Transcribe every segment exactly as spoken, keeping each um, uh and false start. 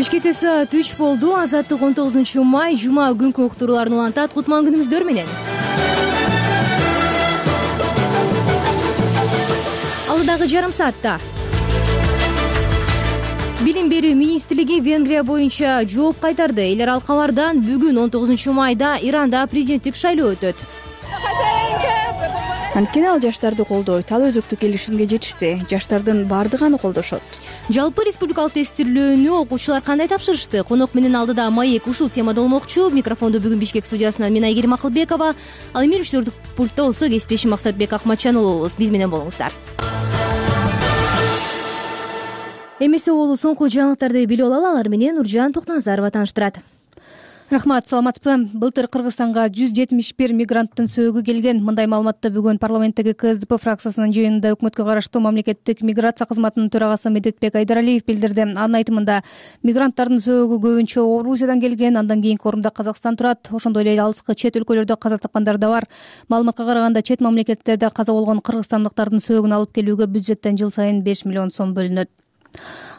Бишкекте саат үч болду. Азаттык он тогузунчу май жума күнкү уктурууларын улантат. Кутман күнүңүздөр менен. Алдагы жарым саатта Билим берүү министрлиги Венгрия боюнча жооп кайтарды. Элер ал кабардан бүгүн он тогузунчу майда Иранда президенттик шайлоо өтөт. Анткени ал жаштарды колдойт. Ал өзөктү келишимге жетишти. Жаштардын баардыгы аны колдошот. Жалпы республикалык тестирлөөнү окуучулар кандай тапшырышты? Конок менен алдыда маек ушул темада болмокчу. Микрофонду бүгүн Бишкек студиясынан мен Айгерим Акылбекова, ал эми режиссердук пультта болсо кесиптешим Максатбек Акматжан болобуз. Биз менен болуңуздар. Эмесе болуу соңку жаңылыктарды билип алалы. Алар менен Нуржан Токтоназарова тааныштырат. Рахмат, саламатсызбы? Былтыр Кыргызстанга жүз жетимиш бир мигранттын сөөгү келген. Мындай маалыматты бүгүн парламенттеги КСДП фракциясынын жыйынында өкмөткө караштуу мамлекеттик миграция кызматынын төрагасы Медетбек Айдаралиев билдирди. Анын айтымында, мигранттардын сөөгү көбүнчө Орусиядан келген, андан кийинки орунда Казакстан турат. Ошондой эле алыскы чет өлкөлөрдө каза тапкандар да бар. Маалыматка караганда, чет мамлекеттерде каза болгон кыргызстандыктардын сөөгүн алып келүүгө бюджеттен жыл сайын беш миллион сом бөлүнөт.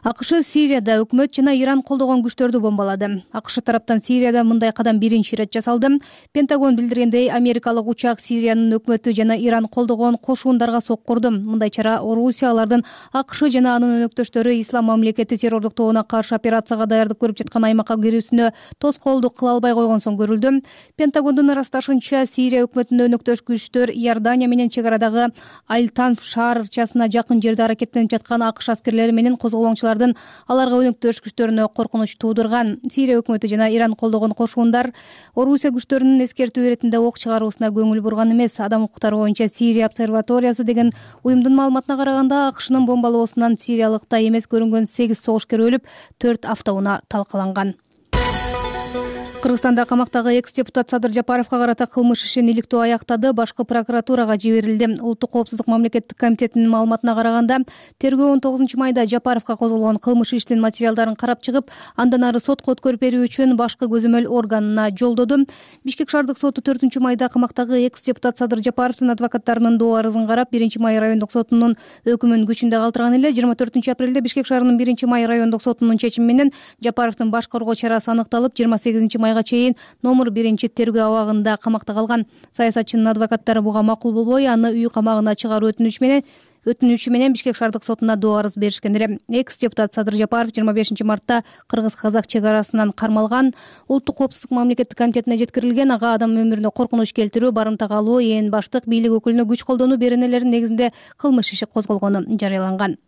АКШ Сирияда өкмөт жана Иран колдогон күчтөрдү бомбалады. АКШ тараптан Сирияда мындай кадам биринчи ирет жасалды. Пентагон билдиргендей, америкалык учак Сириянын өкмөтү жана Иран колдогон кошундарга соккурду. Мындай чара Орусия алардын АКШ жана анын өнөктөштөрү Ислам мамлекети террордук тобуна каршы операцияга даярдык көрүп жаткан аймакка кирүүсүнө тоскоолдук кыла албай койгон соң көрүлдү. Пентагондун ырасташынча, Сирия өкмөтүнө өнөктөш күчтөр Иордания менен чек арадагы Аль-Танф шаарчасына жакын жерде аракеттенип жаткан АКШ аскерлери менен козголоңчулар аларга өнөктөш күчтөрүнө коркунуч туудурган. Сирия өкмөтү жана Иран колдогон кошундар Орусия күчтөрүнүн эскертүү иретинде ок чыгаруусуна көңүл бурган эмес. Адам укуктары боюнча Сирия обсерваториясы деген уюмдун маалыматына караганда, АКШнын бомбалоосунан сириялыкта эмес көрүнгөн сегиз согушкер өлүп, төрт автоунаа талкаланган. Кыргызстанда камактагы экс-депутат Садыр Жапаровго карата кылмыш ишин иликтөө аяктады, башкы прокуратурага жиберилди. Улуттук коопсуздук мамлекеттик комитетинин маалыматына караганда, тергөө он тогузунчу майда Жапаровго козголгон кылмыш иштин материалдарын карап чыгып, андан ары сотко өткөрүп берүү үчүн башкы көзөмөл органына жолдоду. Бишкек шаардык соту төртүнчү майда камактагы экс-депутат Садыр Жапаровдун адвокаттарынын доо арызын карап, биринчи май райондук сотунун өкүмүн күчүндө калтырган эле. жыйырма төртүнчү апрелде Бишкек шаарынын биринчи май райондук сотунун чечими менен Жапаровдун баш коргоо чарасы аныкталып, жыйырма сегизинчи майга чейин номер биринчи тергөө абагында камакта калган. Саясатчынын адвокаттары буга макул болбой, аны үй камагына чыгаруу өтүнүчү менен өтүнүчү менен Бишкек шаардык сотуна доо арыз беришкен эле. Экс-депутат Садыр Жапаров жыйырма бешинчи мартта кыргыз-казак чек арасынан кармалган. Улуттук коопсуздук мамлекеттик комитетине жеткирилген. Ага адам өмүрүнө коркунуч келтирүү, барымта калуу, ээн баштык, бийлик өкүлүнө күч колдонуу беренелеринин негизинде кылмыш иши козголгону жарыяланган.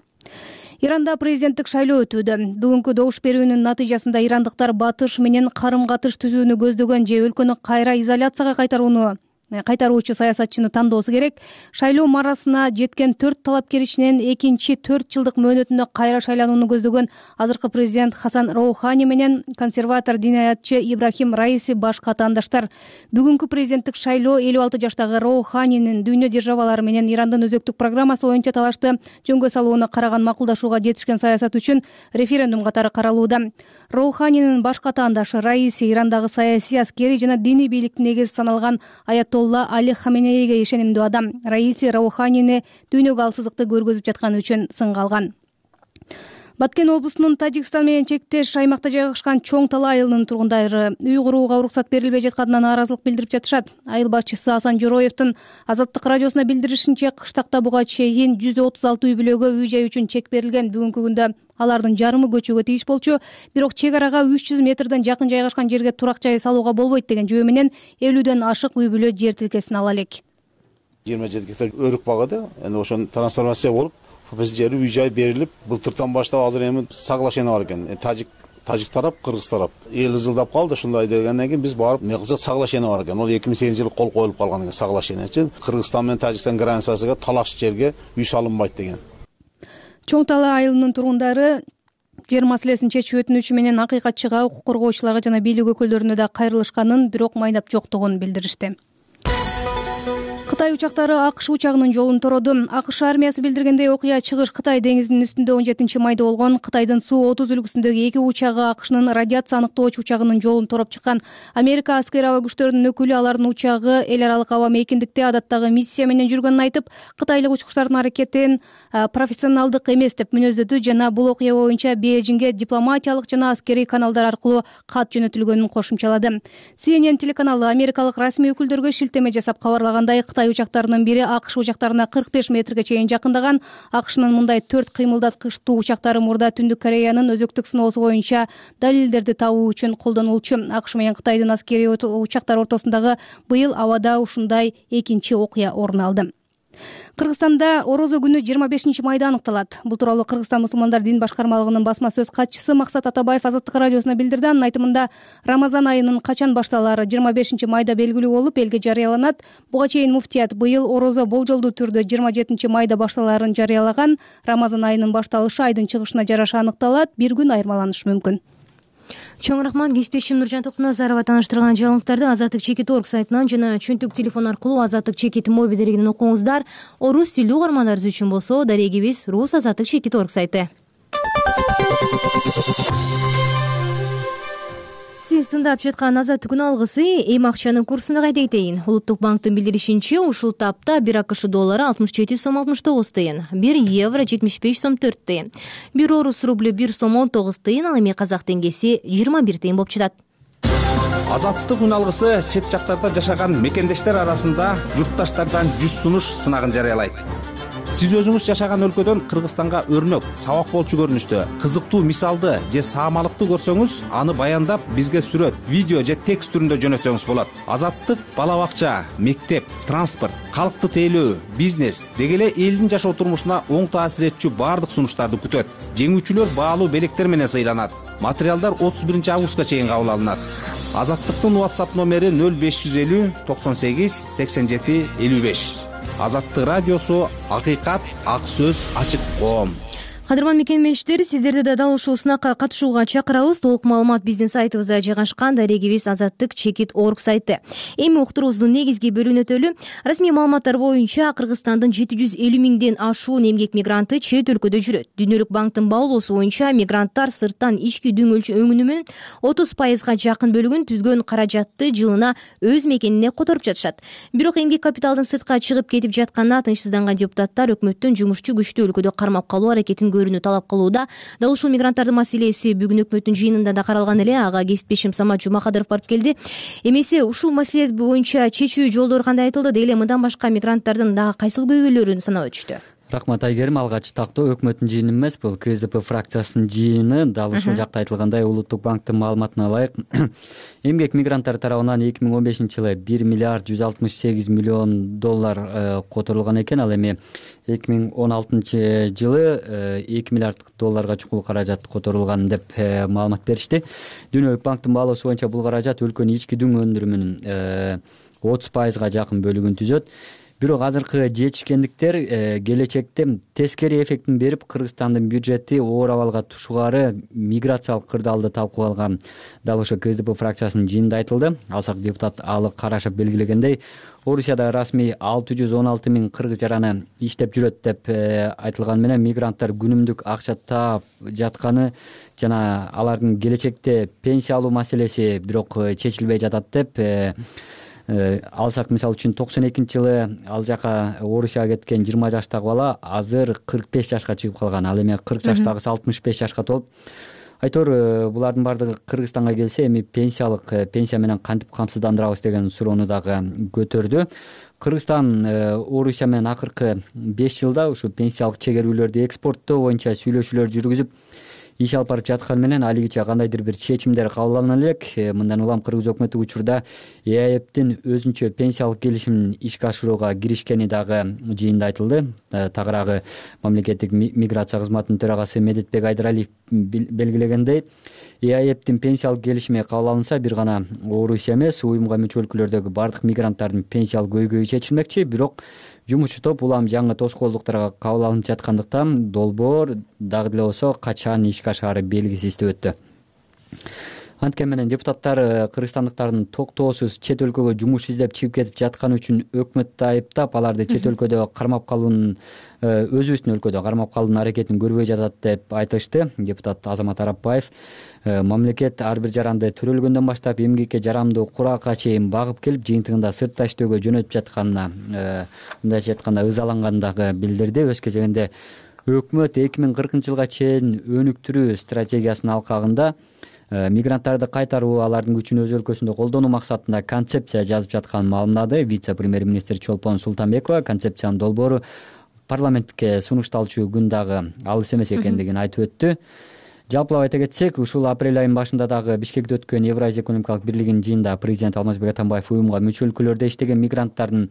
Иранда президенттик шайлоо өтүүдө. Бүгүнкү добуш берүүнүн натыйжасында ирандыктар батыш менен карым-катыш түзүүнү көздөгөн же өлкөнү кайра изоляцияга кайтарууну кайтаруучу саясатчыны тандоосу керек. Шайлоо марасына жеткен төрт талапкер ичинен экинчи төрт жылдык мөөнөтүнө кайра шайланууну көздөгөн азыркы президент Хасан Роухани менен консерватор динаятчы Ибрахим Раиси баш катаандаштар. Бүгүнкү президенттик шайлоо элүү алты жаштагы Роуханинин дүйнө державалары менен Ирандын өзөктүк программасы боюнча талашты жөнгө салууну караган макулдашууга жетишкен саясат үчүн референдум катары каралууда. Роуханинин баш катаандашы Раиси Ирандагы саясий, аскерий жана диний бийликтин негизи саналган Аятолла Али Хаменейге ишенимдүү адам. Раиси Роуханини дүйнөгө алсыздыкты көргөзүп жатканы үчүн сынга алган. Баткен облусунун Тажикстан менен чектеш аймакта жайгашкан Чоң Тала айылынын тургундары үй курууга уруксат берилбей жатканына нааразылык билдирип жатышат. Айыл башчысы Асан Жороевдун Азаттык радиосуна билдиришинче, кыштакта буга чейин жүз отуз алты үй бүлөгө үй жай үчүн чек берилген. Бүгүнкү күндө алардын жарымы көчүүгө тийиш болчу. Бирок чек арага үч жүз метрден жакын жайгашкан жерге турак жай салууга болбойт деген жөө менен элүүдөн ашык үй бүлө жер тилкесин ала элек. жыйырма жети гектар өрүк багады. Эми ошону трансформация болуп, биз жери үй жай берилип, былтыртан баштап азыр эми соглашение бар экен. Тажик Тажик тарап, кыргыз тарап эл ызылдап калды. Ушундай дегенден кийин биз барып, эмне кылсак соглашение бар экен. Ол эки миң сегизинчи жылы кол коюлуп калган экен соглашениечи. Кыргызстан менен Тажикстан границасына талаш жерге үй салынбайт деген. Чоң Тала айылынын тургундары жер маселесин чечүү өтүнүчү менен акыйкатчыга, укук коргоочуларга жана бийлик өкүлдөрүнө да кайрылышканын, бирок майнап жоктугун билдиришти. Кытай учактары АКШ учагынын жолун тороду. АКШ армиясы билдиргендей, окуя чыгыш Кытай деңизинин үстүндө он жетинчи майда болгон. Кытайдын Су отуз үлгүсүндөгү эки учагы АКШнын радиация аныктоочу учагынын жолун тороп чыккан. Америка аскери аба күчтөрүнүн өкүлү алардын учагы эл аралык аба мейкиндикте адаттагы миссия менен жүргөнүн айтып, кытайлык учкучтардын аракетин профессионалдык эмес деп мүнөздөдү жана бул окуя боюнча Бейжиңге дипломатиялык жана аскерий каналдар аркылуу кат жөнөтүлгөнүн кошумчалады. Си Эн Эн телеканалы америкалык расмий өкүлдөргө шилтеме жасап кабарлагандай, Кытай учактарынын бири АКШ учактарына кырк беш метрге чейин жакындаган. АКШнын мындай төрт кыймылдаткычтуу учактары мурда Түндүк Кореянын өзөктүк сыноосу боюнча далилдерди табуу үчүн колдонулчу. АКШ менен Кытайдын аскерий учактары ортосундагы быйыл абада ушундай экинчи окуя орун алды. Кыргызстанда Орозо күнү жыйырма бешинчи майда аныкталат. Бул тууралуу Кыргызстан мусулмандар дин башкармалыгынын басма сөз катчысы Максат Атабаев Азаттык радиосуна билдирди. Анын айтымында, Рамазан айынын качан башталаары жыйырма бешинчи майда белгилүү болуп, элге жарыяланат. Буга чейин муфтият быйыл Орозо болжолдуу түрдө жыйырма жетинчи майда башталаарын жарыялаган. Рамазан айынын башталышы айдын чыгышына жараша аныкталат. Бир күн айырмаланышы мүмкүн. Чоң рахмат. Кесиптешим Нуржан Токуназарова тааныштырган жаңылыктарды Азаттык чекит орг сайтынан жана чөнтүк телефон аркылуу Азаттык чекит мобил дерегинен окуңуздар. Орус тилдүү угармандарыбыз үчүн болсо, дарегибиз Рус Азаттык чекит орг сайты. Сиз тыңдап жаткан Азаттык күн алгысы эми акчанын курсуна кайта кетейин. Улуттук банктын билдиришинче, ушул тапта бир АКШ доллары алтымыш жети сом алтымыш тогуз тыйын, бир евро жетимиш беш сом төрт тыйын, бир орус рублю бир сом он тогуз тыйын, ал эми казак теңгеси жыйырма бир тыйын болуп жатат. Азаттык күн алгысы чет жактарда жашаган мекендештер арасында журтташтардан жүз сунуш сынагын жарыялайт. Сиз өзүңүз жашаган өлкөдөн Кыргызстанга өрнөк, сабак болчу көрүнүштө, кызыктуу мисалды же саамалыкты көрсөңүз, аны баяндап бизге сүрөт, видео же текст түрүндө жөнөтсөңүз болот. Азаттык бала бакча, мектеп, транспорт, калкты тейлөө, бизнес деги эле элдин жашоо турмушуна оң таасир этчү баардык сунуштарды күтөт. Жеңүүчүлөр баалуу белектер менен сыйланат. Материалдар отуз биринчи августка чейин кабыл алынат. Азаттыктын WhatsApp номери нөл беш жүз элүү токсон сегиз сексен жети элүү беш. Азаттык радиосу, акыйкат, ак сөз, ачык коом. Кадырман мекемештер, сиздерди да дал ушул сынакка катышууга чакырабыз. Толук маалымат биздин сайтыбызда жайгашкан. Дарегибиз Азаттык чекит орг сайты. Эми уктуруубуздун негизги бөлүгүнө өтөлү. Расмий маалыматтар боюнча Кыргызстандын жети жүз элүү миңден ашуун эмгек мигранты чет өлкөдө жүрөт. Дүйнөлүк банктын баалоосу боюнча мигранттар сырттан ички дүңөлчү өнүмүнүн отуз пайызга жакын бөлүгүн түзгөн каражатты жылына өз мекенине которуп жатышат. Бирок эмгек капиталдын сыртка чыгып кетип жатканына тынчсызданган депутаттар өкмөттүн жумушчу күчтүү өлкөдө кармап калуу аракетин көрүүнү талап кылууда. Дал ушул мигранттардын маселеси бүгүн өкмөттүн жыйынында да каралган эле. Ага кесиптешим Самат Жумакадыров барып келди. Эмесе ушул маселе боюнча чечүү жолдору кандай айтылды? Деги эле мындан башка мигранттардын дагы кайсыл көйгөйлөрүн санап өтүштү? Рахмат Айгерим. Алгач тактоо өкмөттүн жыйыны эмес, бул Ка Эс Де Пэ фракциясынын жыйыны. Дал ушул жакта айтылгандай, Улуттук банктын маалыматына ылайык, эмгек мигранттар тарабынан эки миң он бешинчи жылы бир миллиард жүз алтымыш сегиз миллион доллар которулган экен. Ал эми эки миң он алтынчы жылы эки миллиард долларга чукул каражат которулган деп маалымат беришти. Дүйнөлүк банктын баалоосу боюнча бул каражат өлкөнүн ички дүң өндүрүмүнүн отуз пайызга жакын бөлүгүн түзөт. Бирок азыркы жетишкендиктер келечекте тескери эффектин берип, Кыргызстандын бюджети оор абалга тушугаары миграциялык кырдаалды талкууланган. Дал ошо Ка Эс Де Пэ фракциясынын жыйынында айтылды. Алсак депутат Алы Карашев белгилегендей, Орусияда расмий алты жүз он алты миң кыргыз жараны иштеп жүрөт деп айтылган менен мигранттар күнүмдүк акча таап жатканы жана алардын келечекте пенсия алуу маселеси бирок чечилбей жатат деп алсак. Мисалы үчүн токсон экинчи жылы ал жака Орусияга кеткен жыйырма жаштагы бала азыр кырк беш жашка чыгып калган. Ал эми кырк жаштагысы алтымыш беш жашка толуп. Айтор булардын баардыгы Кыргызстанга келсе, эми пенсиялык пенсия менен кантип камсыздандырабыз деген суроону дагы көтөрдү. Кыргызстан Орусия менен акыркы беш жылда ушу пенсиялык чегерүүлөрдү экспорттоо боюнча сүйлөшүүлөр жүргүзүп иш алып барып жаткан менен алигиче кандайдыр бир чечимдер кабыл алына элек. Мындан улам кыргыз өкмөтү учурда Е А Эптин өзүнчө пенсиялык келишимин ишке ашырууга киришкени дагы жыйында айтылды. Тагыраагы мамлекеттик миграция кызматынын төрагасы Медетбек Айдаралиев белгилегендей, Е А Эптин пенсиялык келишими кабыл алынса, бир гана Орусия эмес, уюмга мүчө өлкөлөрдөгү бардык мигранттардын пенсиялык көйгөйү чечилмекчи. Бирок жумушчу топ улам жаңы тоскоолдуктарга кабыл алынып жаткандыктан долбоор дагы деле болсо качан ишке ашаары белгисиз деп өттү. Анткени менен депутаттар кыргызстандыктардын токтоосуз чет өлкөгө жумуш издеп чыгып кетип жатканы үчүн өкмөттү айыптап, аларды чет өлкөдө кармап калуунун өзүбүздүн өлкөдө кармап калуунун аракетин көрбөй жатат деп айтышты. Депутат Азамат Арапбаев мамлекет ар бир жаранды төрөлгөндөн баштап эмгекке жарамдуу куракка чейин багып келип, жыйынтыгында сыртта иштөөгө жөнөтүп жатканына, мындайча айтканда ызалангандыгы билдирди. Өз кезегинде өкмөт эки миң кыркынчы жылга чейин өнүктүрүү стратегиясынын алкагында мигранттарды кайтаруу, алардын күчүн өз өлкөсүндө колдонуу максатында концепция жазып жатканын маалымдады. Вице-премьер-министр Чолпон Султанбекова концепциянын долбоору парламентке сунушталчу күн дагы алыс эмес экендигин айтып өттү. Жалпылап айта кетсек, ушул апрель айынын башында дагы Бишкекте өткөн Евразия экономикалык бирлигинин жыйынында президент Алмазбек Атамбаев уюмга мүчө өлкөлөрдө иштеген мигранттардын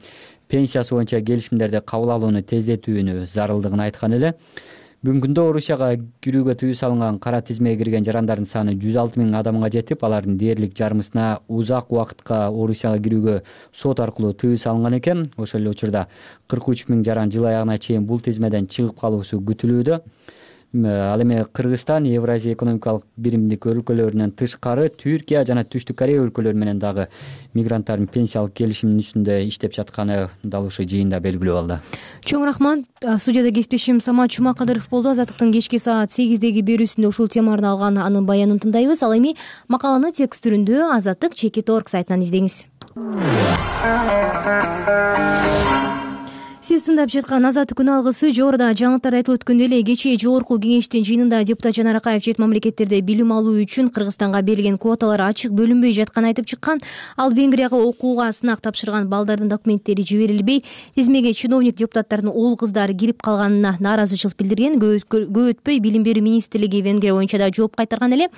пенсиясы боюнча келишимдерди кабыл алууну тездетүүнү зарылдыгын айткан эле. Бүгүнкү күндө Орусияга кирүүгө тыюу салынган кара тизмеге кирген жарандардын саны жүз алты миң адамга жетип, алардын дээрлик жарымысына узак убакытка Орусияга кирүүгө сот аркылуу тыюу салынган экен. Ошол эле учурда кырк үч миң жаран жыл аягына чейин бул тизмеден чыгып калуусу күтүлүүдө. Ал эми Кыргызстан Евразия экономикалык биримдик өлкөлөрүнөн тышкары Түркия жана Түштүк Корея өлкөлөрү менен дагы мигранттардын пенсиялык келишиминин үстүндө иштеп жатканы дал ушул жыйында белгилүү болду. Чоң рахмат. Студияда кесиптешим Самат Чумакадыров болду. Азаттыктын кечки саат сегиздеги берүүсүндө ушул тема арналган анын баянын тыңдайбыз. Ал эми макаланы текст түрүндө Азаттык чекит точка орг сайтынан издеңиз. Сиз тыңдап жаткан Азаттык күн алгысы. Жогоруда жаңылыктарда айтылып өткөндөй эле, кечээ жогорку кеңештин жыйынында депутат Жанар Акаев чет мамлекеттерде билим алуу үчүн Кыргызстанга берилген квоталар ачык бөлүнбөй жатканын айтып чыккан. Ал Венгрияга окууга сынак тапшырган балдардын документтери жиберилбей, тизмеге чиновник депутаттардын уул кыздары кирип калганына нааразычылык билдирген. Көп өтпөй билим берүү министрлиги Венгрия боюнча да жооп кайтарган эле.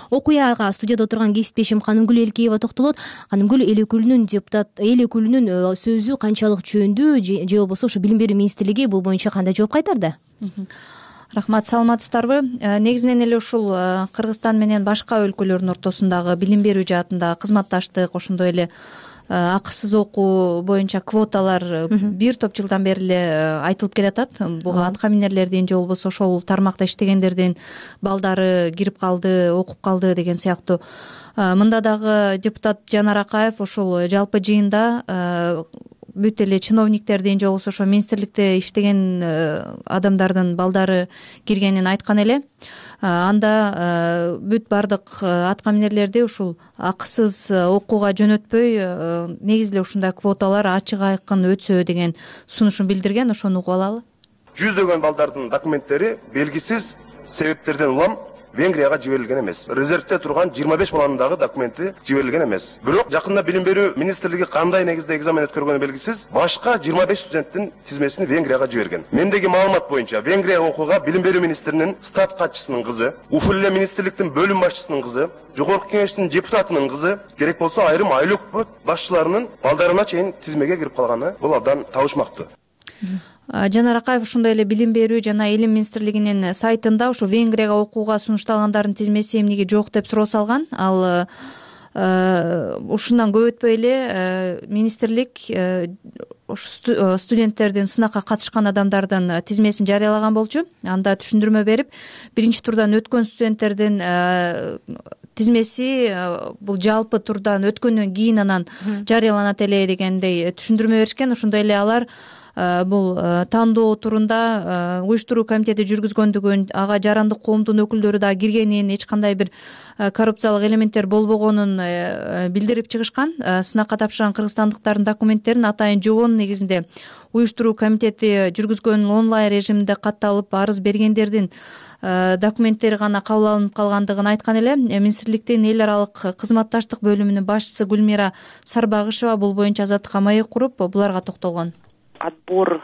Окуяга студияда отурган кесиптешим Канымгүл Элкеева токтолот. Канымгүл, эл өкүлүнүн депутат эл өкүлүнүн сөзү канчалык жөндүү, же болбосо ушу билим берүү министрлиги бул боюнча кандай жооп кайтарды? Рахмат, саламатсыздарбы? Негизинен эле ушул Кыргызстан менен башка өлкөлөрдүн ортосундагы билим берүү жаатында кызматташтык, ошондой эле акысыз окуу боюнча квоталар бир топ жылдан бери эле айтылып келатат. Буга аткаминерлердин же болбосо ошол тармакта иштегендердин балдары кирип калды, окуп калды деген сыяктуу. Мында дагы депутат Жанар Акаев ошол жалпы жыйында бүт эле чиновниктердин же болбосо ошо министрликте иштеген адамдардын балдары киргенин айткан эле. Анда бүт бардык аткаминерлерди ушул акысыз окууга жөнөтпөй, негизи эле ушундай квоталар ачык айкын өтсө деген сунушун билдирген. Ошону угуп алалы. Жүздөгөн балдардын документтери белгисиз себептерден улам Венгрияга жиберилген эмес. Резервде турган жыйырма беш баланын дагы документи жиберилген эмес. Бирок жакында билим берүү министрлиги кандай негизде экзамен өткөргөнү белгисиз, башка жыйырма беш студенттин тизмесин Венгрияга жиберген. Мендеги маалымат боюнча Венгрия окууга билим берүү министринин штат катчысынын кызы, ушул эле министрликтин бөлүм башчысынын кызы, жогорку кеңештин депутатынын кызы, керек болсо айрым айыл өкмөт башчыларынын балдарына чейин тизмеге кирип калганы бул абдан табышмактуу. Жанар Акаев ошондой эле билим берүү жана илим министрлигинин сайтында ушу Венгрияга окууга сунушталгандардын тизмеси эмнеге жок деп суроо салган. Ал ушундан көп өтпөй эле министрлик студенттердин сынакка катышкан адамдардын тизмесин жарыялаган болчу. Анда түшүндүрмө берип, биринчи турдан өткөн студенттердин тизмеси бул жалпы турдан өткөндөн кийин анан жарыяланат эле дегендей түшүндүрмө беришкен. Ошондой эле алар бул тандоо турунда уюштуруу комитети жүргүзгөндүгүн, ага жарандык коомдун өкүлдөрү да киргенин, эч кандай бир коррупциялык элементтер болбогонун билдирип чыгышкан. Сынакка тапшырган кыргызстандыктардын документтерин атайын жобонун негизинде уюштуруу комитети жүргүзгөн онлайн режиминде катталып, арыз бергендердин документтери гана кабыл алынып калгандыгын айткан эле. Министрликтин эл аралык кызматташтык бөлүмүнүн башчысы Гүлмира Сарбагышева бул боюнча Азаттыкка маек куруп, буларга токтолгон. Отбор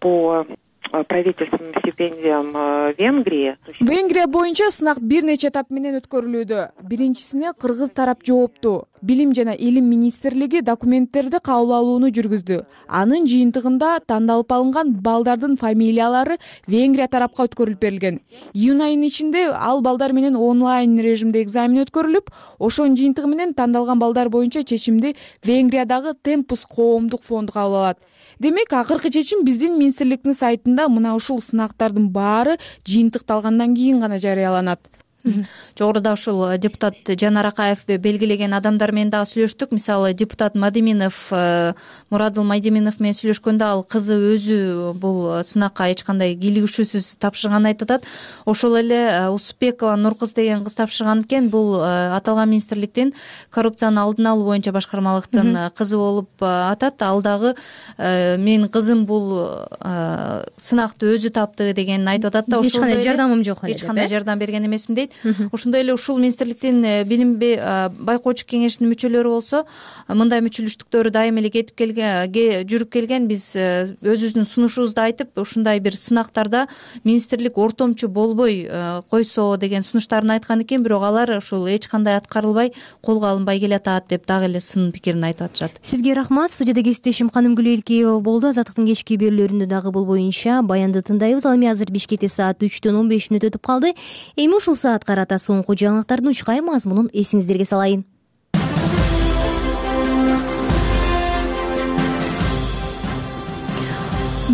по правительственным стипендиям Венгрии. Венгрия боюнча сынак бир нече этап менен өткөрүлүүдө. Биринчисине кыргыз тарап жоопту. Билим жана илим министрлиги документтерди кабыл алууну жүргүздү. Анын жыйынтыгында тандалып алынган балдардын фамилиялары Венгрия тарапка өткөрүлүп берилген. Июнь айынын ичинде ал балдар менен онлайн режимде экзамен өткөрүлүп, ошонун жыйынтыгы менен тандалган балдар боюнча чечимди Венгриядагы Темпус коомдук фонду кабыл алат. Демек, акыркы чечим биздин министрликтин сайтында мына ушул сынактардын баары жыйынтыкталгандан кийин гана жарыяланат. Жогоруда ушул депутат Жанар Акаев белгилеген адамдар менен дагы сүйлөштүк. Мисалы депутат Мадиминов, Мурадыл Майдиминов менен сүйлөшкөндө ал кызы өзү бул сынакка эч кандай кийлигишүүсүз тапшырганын айтып атат. Ошол эле Усупбекова Нуркыз деген кыз тапшырган экен. Бул аталган министрликтин коррупциянын алдын алуу боюнча башкармалыктын кызы болуп атат. Ал дагы менин кызым бул сынакты өзү тапты дегенин айтып атат да. Эч кандай жардамым жок эле. Эч кандай жардам берген эмесмин дейт. Ошондой эле ушул министрликтин билим байкоочу кеңешинин мүчөлөрү болсо мындай мүчөлүштүктөрү дайыма эле кетип келген, жүрүп келген. Биз өзүбүздүн сунушубузду айтып, ушундай бир сынактарда министрлик ортомчу болбой койсо деген сунуштарын айткан экен. Бирок алар ушул эч кандай аткарылбай, колго алынбай келатат деп дагы эле сын пикирин айтып атышат. Сизге рахмат. Студияда кесиптешим Канымгүл Элкеева болду. Азаттыктын кечки берүүлөрүндө дагы бул боюнча баянды тындайбыз. Ал эми азыр Бишкекте саат үчтөн он беш мүнөт өтүп калды. Эми ушул саатка карата соңку жаңылыктардын учкай мазмунун эсиңиздерге салайын.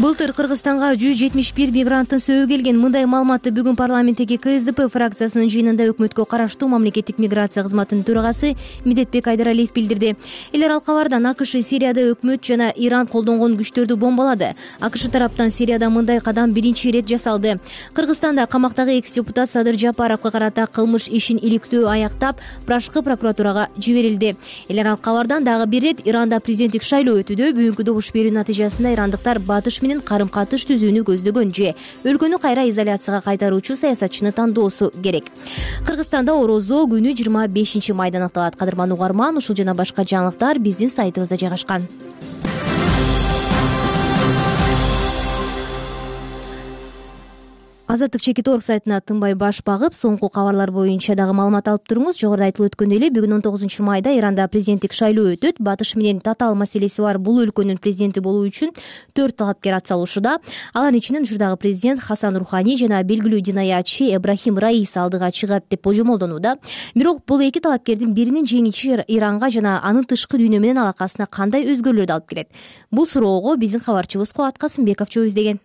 Былтыр Кыргызстанга жүз жетимиш бир мигранттын сөөгү келген. Мындай маалыматты бүгүн парламенттеги КСДП фракциясынын жыйынында өкмөткө караштуу мамлекеттик миграция кызматынын төрагасы Медетбек Айдаралиев билдирди. Эл аралык кабардан АКШ Сирияда өкмөт жана Иран колдонгон күчтөрдү бомбалады. АКШ тараптан Сирияда мындай кадам биринчи ирет жасалды. Кыргызстанда камактагы экс-депутат Садыр Жапаровго карата кылмыш ишин иликтөө аяктап, башкы прокуратурага жиберилди. Эл аралык кабардан дагы бир ирет Иранда президенттик шайлоо өтүүдө бүгүнкү добуш берүү натыйжасында ирандыктар батыш менен карым-катыш түзүүнү көздөгөн же өлкөнү кайра изоляцияга кайтаруучу саясатчыны тандоосу керек. Кыргызстанда орозо күнү жыйырма бешинчи майда аныкталат. Кадырман угарман, ушул жана башка жаңылыктар биздин сайтыбызда жайгашкан. Азаттык чекит точка орг сайтына тынбай баш багып, соңку кабарлар боюнча дагы маалымат алып туруңуз. Жогоруда айтылып өткөндөй эле бүгүн он тогузунчу майда Иранда президенттик шайлоо өтөт. Батыш менен татаал маселеси бар бул өлкөнүн президенти болуу үчүн төрт талапкер ат салуушуда. Алардын ичинен учурдагы президент Хасан Рухани жана белгилүү динаятчы Эбрахим Раиси алдыга чыгат деп божомолдонууда. Бирок бул эки талапкердин биринин жеңиши Иранга жана анын тышкы дүйнө менен алакасына кандай өзгөрүүлөрдү алып келет? Бул суроого биздин кабарчыбыз Кубат Касымбеков жооп издеген.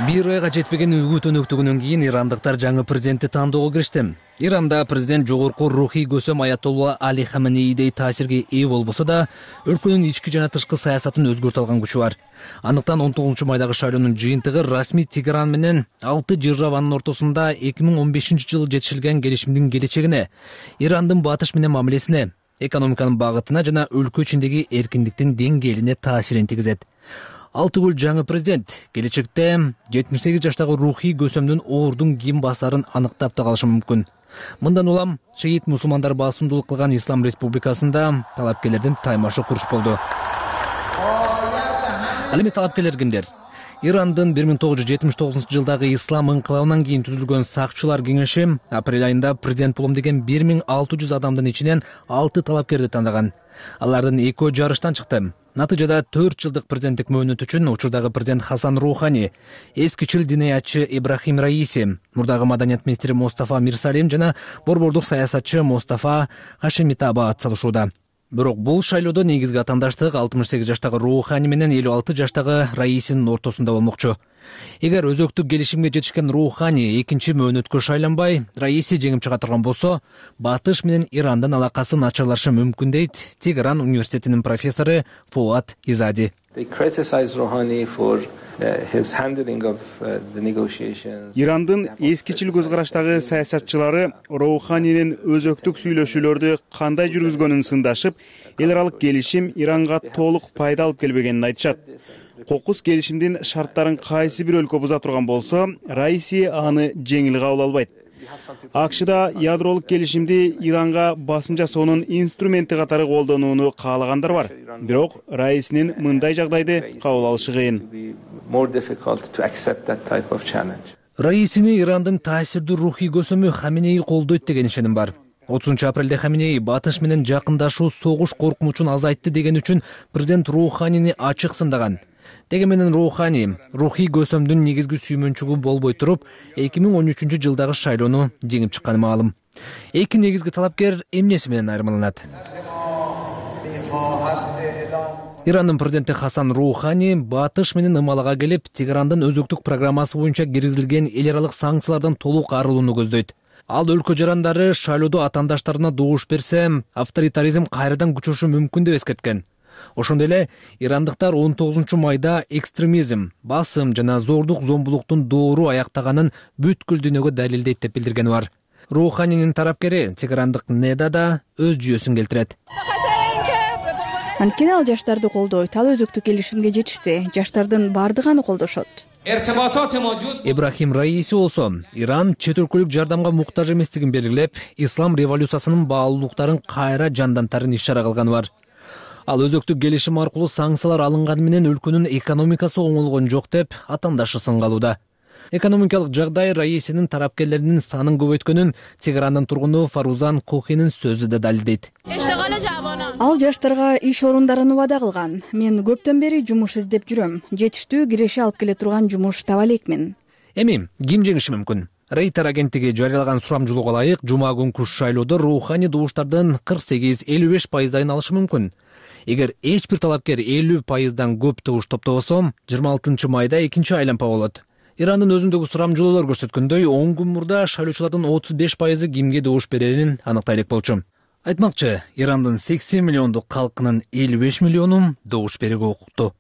Бир айга жетпеген үгүт өнөктүгүнөн кийин ирандыктар жаңы президентти тандоого киришти. Иранда президент жогорку рухий көсөм Аятолла Али Хаменеидей таасирге ээ болбосо да, өлкөнүн ички жана тышкы саясатын өзгөртө алган күчү бар. Андыктан он тогузунчу майдагы шайлоонун жыйынтыгы расмий Тегеран менен алты жырраванын ортосунда эки миң он бешинчи жылы жетишилген келишимдин келечегине, Ирандын батыш менен мамилесине, экономиканын багытына жана өлкө ичиндеги эркиндиктин деңгээлине таасирин тийгизет. Алтыгүл жаңы президент келечекте жетимиш сегиз жаштагы рухий көсөмдүн оордун ким басарын аныктап да калышы мүмкүн. Мындан улам шиит мусулмандар басымдуулук кылган Ислам республикасында талапкерлердин таймашы курч болду. Ал эми талапкерлер кимдер? Ирандын бир миң тогуз жүз жетимиш тогузунчу жылдагы ислам инкылабынан кийин түзүлгөн сакчылар кеңеши апрель айында президент болом деген бир миң алты жүз адамдын ичинен алты талапкерди тандаган. Алардын экөө жарыштан чыкты. Натыйжада төрт жылдык президенттик мөөнөт үчүн учурдагы президент Хасан Рухани, эскичил динаятчы Эбрахим Раиси, мурдагы маданият министри Мустафа Мирсалим жана борбордук саясатчы Мустафа Хашемитаба ат салышууда. Бирок бул шайлоодо негизги атаандаштык алтымыш сегиз жаштагы Рухани менен элүү алты жаштагы Раисинин ортосунда болмокчу. Эгер өзөктүк келишимге жетишкен Рухани экинчи мөөнөткө шайланбай, Раиси жеңип чыга турган болсо, батыш менен Ирандын алакасы начарлашы мүмкүн дейт Тегеран университетинин профессору Фуат Изади. Ирандын эскичил көз караштагы саясатчылары Руханинин өзөктүк сүйлөшүүлөрдү кандай жүргүзгөнүн сындашып, эл аралык келишим Иранга толук пайда алып келбегенин айтышат. Кокус келишимдин шарттарын кайсы бир өлкө буза турган болсо, Раиси аны жеңил кабыл албайт. АКШда ядролук келишимди Иранга басым жасоонун инструменти катары колдонууну каалагандар бар. Бирок Раисинин мындай жагдайды кабыл алышы кыйын. Раисини Ирандын таасирдүү рухий көсөмү Хаменеи колдойт деген ишеним бар. отузунчу апрелде Хаменеи батыш менен жакындашуу согуш коркунучун азайтты деген үчүн президент Руханини ачык сындаган. Деги менен Рухани рухий көсөмдүн негизги сүймөнчүгү болбой туруп, эки миң он үчүнчү жылдагы шайлоону жеңип чыкканы маалым. Эки негизги талапкер эмнеси менен айырмаланат? Ирандын президенти Хасан Роухани батыш менен ымалага келип, Тегерандын өзөктүк программасы боюнча киргизилген эл аралык санкциялардан толук арылууну көздөйт. Ал өлкө жарандары шайлоодо атаандаштарына добуш берсе, авторитаризм кайрадан күчөшүшү мүмкүн деп эскерткен. Ошондой эле ирандыктар он тогузунчу майда экстремизм, басым жана зордук зомбулуктун доору аяктаганын бүткүл дүйнөгө далилдейт деп билдиргени бар. Роуханинин тарапкери Тегерандык Неда да өз жүйөсүн келтирет. Анткени ал жаштарды колдойт, ал өзөктүк келишимге жетишти. Жаштардын баардыгы аны колдошот. Ибрахим Раиси болсо Иран чет өлкөлүк жардамга муктаж эместигин белгилеп, ислам революциясынын баалуулуктарын кайра жандантарын иш-чара кылганы бар. Ал өзөктүк келишим аркылуу санкциялар алынганы менен өлкөнүн экономикасы оңолгон жок деп атаандашы сынгалууда. Экономикалык жагдай Раисинин тарапкерлеринин санын көбөйткөнүн Тегерандын тургуну Фарузан Кохинин сөзү да далилдейт. Ал жаштарга иш орундарын убада кылган. Мен көптөн бери жумуш издеп жүрөм. Жетиштүү киреше алып келе турган жумуш таба элекмин. Эми ким жеңиши мүмкүн? Рейтер агенттиги жарыялаган сурамжылоого ылайык, жума күнкү шайлоодо Роухани добуштардын кырк сегиз элүү беш пайыздайын алышы мүмкүн. Эгер эч бир талапкер элүү пайыздан көп добуш топтобосо, жыйырма алтынчы майда экинчи айлампа болот. Ирандын өзүндөгү сурамжылоолор көрсөткөндөй, он күн мурда шайлоочулардын отуз беш пайызы кимге добуш берерин аныктай элек болчу. Айтмакчы, Ирандын сексен миллиондук калкынын элүү беш миллиону добуш берүүгө укуктуу.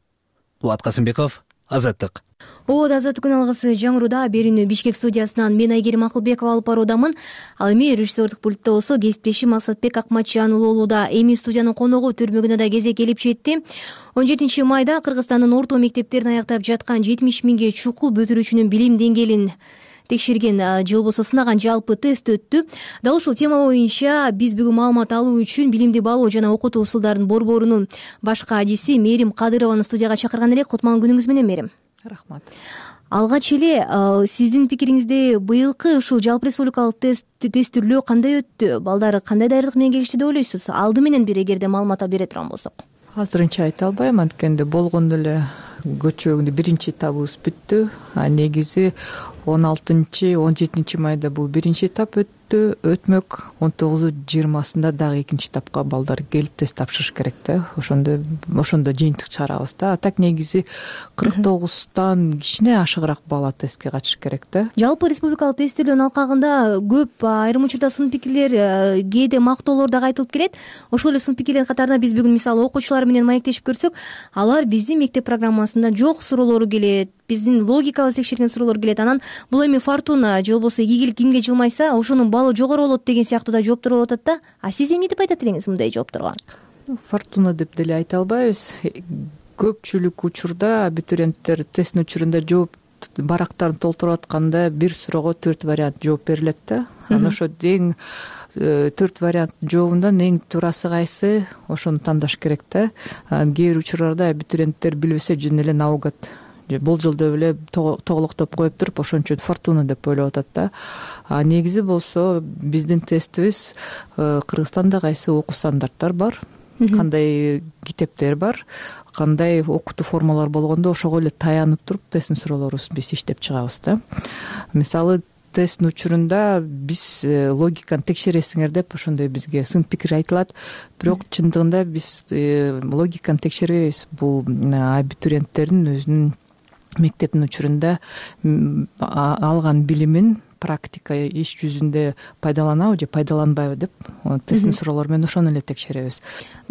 Кубат Касымбеков, Азаттык. О, Азаттык күн алгысы жаңыруда берүүнү Бишкек студиясынан мен Айгерим Акылбекова алып баруудамын. Ал эми режиссердик пультта болсо кесиптешим Максатбек Акматжан болууда. Эми студиянын коногу төрмөгүнө да кезек келип жетти. он жетинчи майда Кыргызстандын орто мектептерин аяктап жаткан жетимиш миңге чукул бүтүрүүчүнүн билим деңгээлин текшерген же болбосо сынаган жалпы тест өттү. Дал ушул тема боюнча биз бүгүн маалымат алуу үчүн Билимди баалоо жана окутуу усулдарын борборунун башкы адиси Мээрим Кадырованы студияга чакырган элек. Кутман күнүңүз менен, Мээрим. Рахмат. Алгач эле сиздин пикириңизде быйылкы ушул жалпы республикалык тест тестирлөө кандай өттү? Балдар кандай даярдык менен келишти деп ойлойсуз? Алды менен бир эгерде маалымат бере турган болсок. Азырынча айта албайм, анткени болгондо эле көчөгүндө биринчи этабыбыз бүттү. А негизи он алтынчы он жетинчи майда бул биринчи этап өттү, өтмөк. он тогузу жыйырмасында дагы экинчи этапка балдар келип тест тапшырыш керек да. Ошондо ошондо жыйынтык чыгарабыз да. А так негизи кырк тогуздан кичине ашыгыраак бала тестке катышыш керек да. Жалпы республикалык тестирлөөнүн алкагында көп айрым учурда сын пикирлер, кээде мактоолор дагы айтылып келет. Ошол эле сын пикирлердин катарында биз бүгүн мисалы окуучулар менен маектешип көрсөк, алар биздин мектеп программасында жок суроолору келет, биздин логикабызды текшерген суроолор келет. Анан бул эми фортуна же болбосо игилик кимге жылмайса, ошонун баллы жогору болот деген сыяктуу да жооптор болуп атат да. А сиз эмне деп айтат элеңиз мындай жоопторго? Фортуна деп деле айта албайбыз. Көпчүлүк учурда абитуриенттер тесттин учурунда жооп барактарын толтуруп атканда бир суроого төрт вариант жооп берилет да. Анан ошо эң төрт вариант жообундан эң туурасы кайсы, ошону тандаш керек да. Кээ бир учурларда абитуриенттер билбесе жөн эле наугад болжолдоп эле тоголоктоп коюп туруп ошон үчүн фортуна деп ойлоп атат да. А негизи болсо биздин тестибиз Кыргызстанда кайсы окуу стандарттар бар, кандай китептер бар, кандай окутуу формалар болгондо ошого эле таянып туруп тесттин суроолорубузду биз иштеп чыгабыз да. Мисалы тесттин учурунда биз логиканы текшересиңер деп ошондой бизге сын пикир айтылат. Бирок чындыгында биз логиканы текшербейбиз. Бул абитуриенттердин өзүнүн мектептин учурунда алган билимин практика иш жүзүндө пайдаланабы же пайдаланбайбы деп тесттин суроолору менен ошону эле текшеребиз.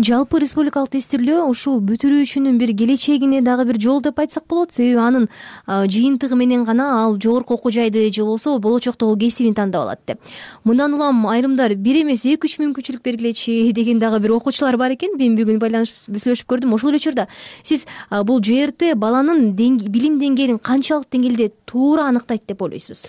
Жалпы республикалык тестирлөө ушул бүтүрүүчүнүн бир келечегине дагы бир жол деп айтсак болот. Себеби анын жыйынтыгы менен гана ал жогорку окуу жайды же болбосо болочоктогу кесибин тандап алат деп. Мындан улам айрымдар бир эмес эки үч мүмкүнчүлүк бергилечи деген дагы бир окуучулар бар экен. Мен бүгүн байланышып сүйлөшүп көрдүм. Ошол эле учурда сиз бул жэ эр тэ баланын билим деңгээлин канчалык деңгээлде туура аныктайт деп ойлойсуз?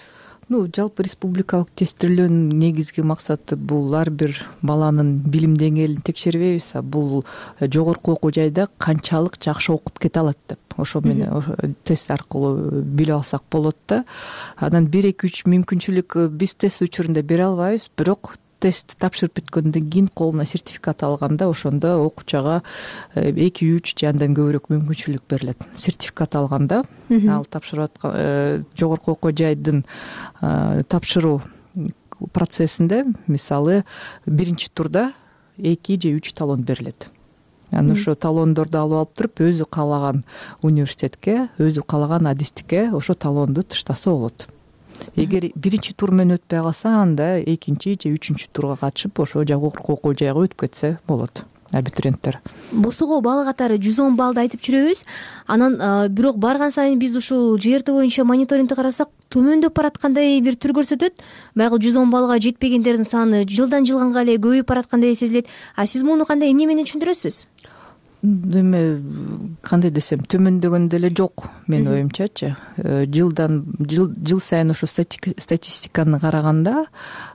Ну, жалпы республикалык тестирлөөнүн негизги максаты бул ар бир баланын билим деңгээлин текшербейбиз, а бул жогорку окуу жайда канчалык жакшы окуп кете алат деп. Ошо менен тест аркылуу билип алсак болот да. Анан бир эки үч мүмкүнчүлүк биз тест учурунда бере албайбыз, бирок тест тапшырып бүткөндөн кийин колуна сертификат алганда ошондо окуучуга эки үч же андан көбүрөөк мүмкүнчүлүк берилет. Сертификат алганда ал тапшырып аткан жогорку окуу жайдын тапшыруу процессинде мисалы биринчи турда эки же үч талон берилет. анан ошо талондорду алып алып туруп өзү каалаган университетке, өзү каалаган адистикке ошо талонду таштаса болот. Эгер биринчи тур менен өтпөй калса, анда экинчи же үчүнчү турга катышып ошо жогорку окуу жайга өтүп кетсе болот абитуриенттер. Босого балл катары жүз он баллды айтып жүрөбүз. Анан бирок барган сайын биз ушул жи эр ти боюнча мониторингди карасак, төмөндөп бараткандай бир түр көрсөтөт. Баягы жүз он баллга жетпегендердин саны жылдан жылганга эле көбөйүп бараткандай сезилет. А сиз муну кандай эмне менен түшүндүрөсүз? Эме кандай десем, төмөндөгөн деле жок менин оюмчачы. Жылдан жыл жыл сайын ошо статистиканы караганда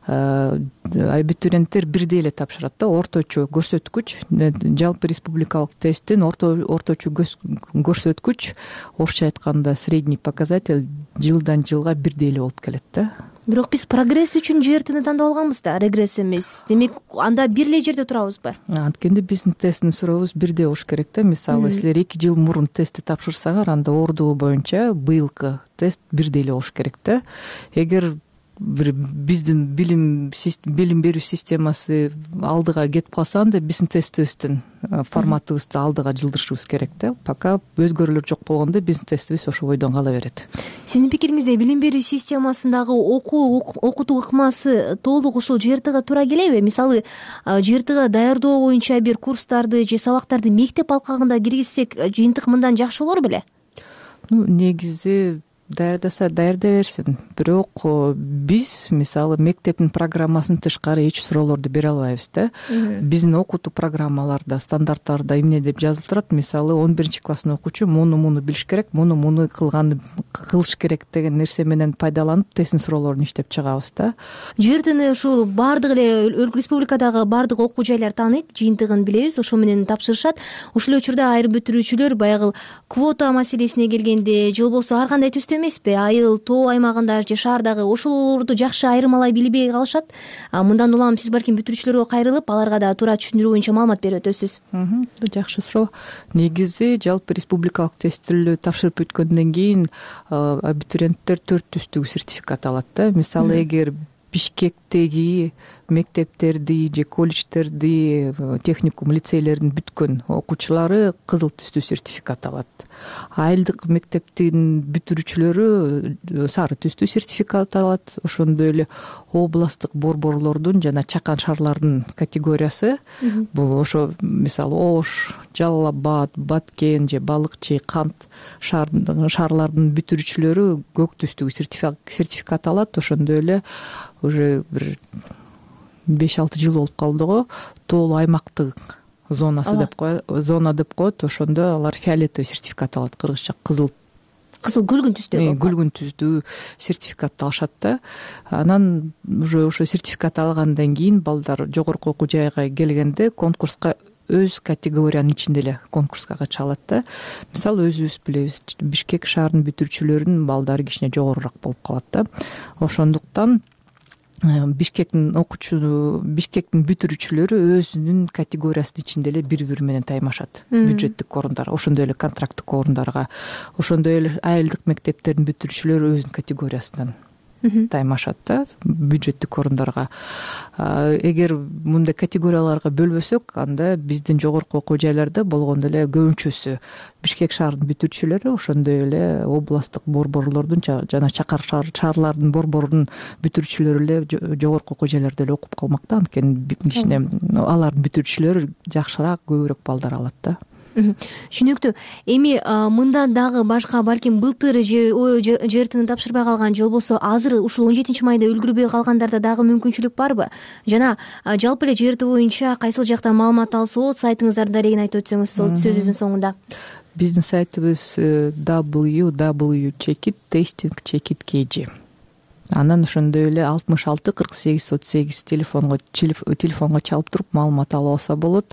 абитуриенттер бирдей эле тапшырат да. Орточо көрсөткүч, жалпы республикалык тесттин орточо көрсөткүч, орусча айтканда средний показатель жылдан жылга бирдей эле болуп келет да. Бирок биз прогресс үчүн жи эр тини тандап алганбыз да, регресс эмес. Демек, анда бир эле жерде турабызбы? Анткенде биздин тесттин сурообуз бирдей болуш керек да. Мисалы, силер эки жыл мурун тестти тапшырсаңар, анда ордугу боюнча быйылкы тест бирдей эле болуш керек да. Эгер бир биздин билим билим берүү системасы алдыга кетип калса, анда биздин тестибиздин форматыбызды алдыга жылдырышыбыз керек да. Пока өзгөрүүлөр жок болгондо биздин тестибиз ошо бойдон кала берет. Сиздин пикириңизде билим берүү системасындагы окуу окутуу ыкмасы толук ушул жи эр тиге туура келеби? Мисалы, жи эр тиге даярдоо боюнча бир курстарды же сабактарды мектеп алкагында киргизсек, жыйынтык мындан жакшы болор беле? Ну, негизи даярдаса даярдай берсин. Бирок биз, мисалы, мектептин программасынан тышкары эч суроолорду бере албайбыз да. Биздин окутуу программаларда, стандарттарда эмне деп жазылып турат? Мисалы, он биринчи класстын окуучу муну муну билиш керек, муну муну кылган кылыш керек деген нерсе менен пайдаланып тесттин суроолорун иштеп чыгабыз да. жи эр тини ушул баардык эле республикадагы баардык окуу жайлар тааныйт, жыйынтыгын билебиз, ошо менен тапшырышат. Ушул учурда айрым бүтүрүүчүлөр баягы квота маселесине келгенде, же болбосо ар кандай түстө эмеспи, айыл, тоо аймагында же шаардагы ошолорду жакшы айырмалай билбей калышат. Мындан улам сиз балким бүтүрүүчүлөргө кайрылып, аларга да туура түшүндүрүү боюнча маалымат берип өтөсүз. Жакшы суроо. Негизи жалпы республикалык тестилөө тапшырып бүткөндөн кийин абитуриенттер төрт түстүк сертификат алат да. Мисалы, эгер Бишкектеги мектептерди же колледждерди, техникум, лицейлердин бүткөн окуучулары кызыл түстүү сертификат алат. Айылдык мектептин бүтүрүүчүлөрү сары түстүү сертификат алат. Ошондой эле областтык борборлордун жана чакан шаарлардын категориясы бул ошо мисалы Ош, Жалал Абад, Баткен же Балыкчы, Кант шаарлардын бүтүрүүчүлөрү көк түстүү сертификат алат. Ошондой эле уже бир беш алты жыл болуп калды го, тоолуу аймактык зонасы деп коет, зона деп коет. Ошондо алар фиолетовый сертификат алат, кыргызча кызыл кызыл күлгүн түстүү күлгүн түздүү сертификатты алышат да. Анан уже ошо сертификат алгандан кийин балдар жогорку окуу жайга келгенде конкурска өз категориянын ичинде эле конкурска катыша алат да. Мисалы, өзүбүз билебиз, Бишкек шаарынын бүтүрүүчүлөрүнүн балдары кичине жогорураак болуп калат да. Ошондуктан Бишкектин окуучу, Бишкектин бүтүрүүчүлөрү өзүнүн категориясынын ичинде эле бири-бири менен таймашат. Бюджеттик орундар, ошондой эле контракттык орундарга, ошондой эле айылдык мектептердин бүтүрүүчүлөрү өзүнүн категориясынан таймашат да, бюджеттик орундарга. Эгер мындай категорияларга бөлбөсөк, анда биздин жогорку окуу жайларда болгондо эле көбүнчөсү Бишкек шаарынын бүтүрүүчүлөрү, ошондой эле областтык борборлордун жана чакар шаарлардын борборунун бүтүрүүчүлөрү эле жогорку окуу жайларда эле окуп калмак да. Анткени кичине алардын бүтүрүүчүлөрү жакшыраак, көбүрөөк балдар алат да. Түшүнүктүү. Эми мындан дагы башка балким былтыр же жи эр тини тапшырбай калган, же болбосо азыр ушул он жетинчи майда үлгүрбөй калгандарда дагы мүмкүнчүлүк барбы? Жана жалпы эле жи эр ти боюнча кайсыл жактан маалымат алса болот, сайтыңыздардын дарегин айтып өтсөңүз сөзүбүздүн соңунда. Биздин сайтыбыз дабл ю дабл ю чекит тестинг чекит кей джи. Анан ошондой эле алтымыш алты кырк сегиз отуз сегиз телефонго телефонго чалып туруп маалымат алып алса болот.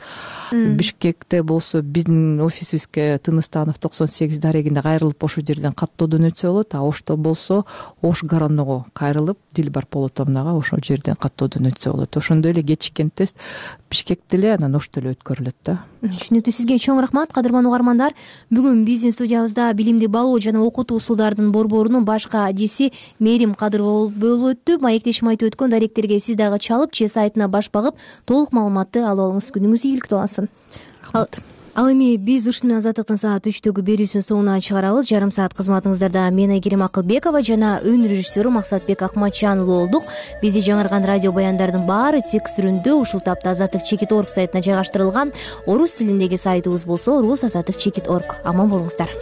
Бишкекте болсо биздин офисибизге Тыныстанов токсон сегиз дарегине кайрылып ошол жерден каттоодон өтсө болот. А Ошто болсо Ош Горонного кайрылып Дилбар Полотовнага ошол жерден каттоодон өтсө болот. Ошондой эле кечиккен тест Бишкекте эле, анан Ошто эле өткөрүлөт да. Түшүнүктүү. Сизге чоң рахмат, кадырман угармандар. Бүгүн биздин студиябызда билимди балоо жана окутуу усулдарынын борборунун башкы адиси Мээрим Кадырова болуп өттү. Маектешим айтып өткөн даректерге сиз дагы чалып же сайтына баш багып толук маалыматты алып алыңыз. Күнүңүз ийгиликтүү болсун. Ал эми биз ушуну менен Азаттыктын саат үчтөгү берүүсүнүн соңуна чыгарабыз. Жарым саат кызматыңыздарда мен Айгерим Акылбекова жана өнөр режиссеру Максатбек Акматжан уулу болдук. Бизди жаңырган радио баяндардын баары текст түрүндө ушул тапта азаттык чекит орг сайтына жайгаштырылган. Орус тилиндеги сайтыбыз болсо орус азаттык чекит орг. Аман болуңуздар.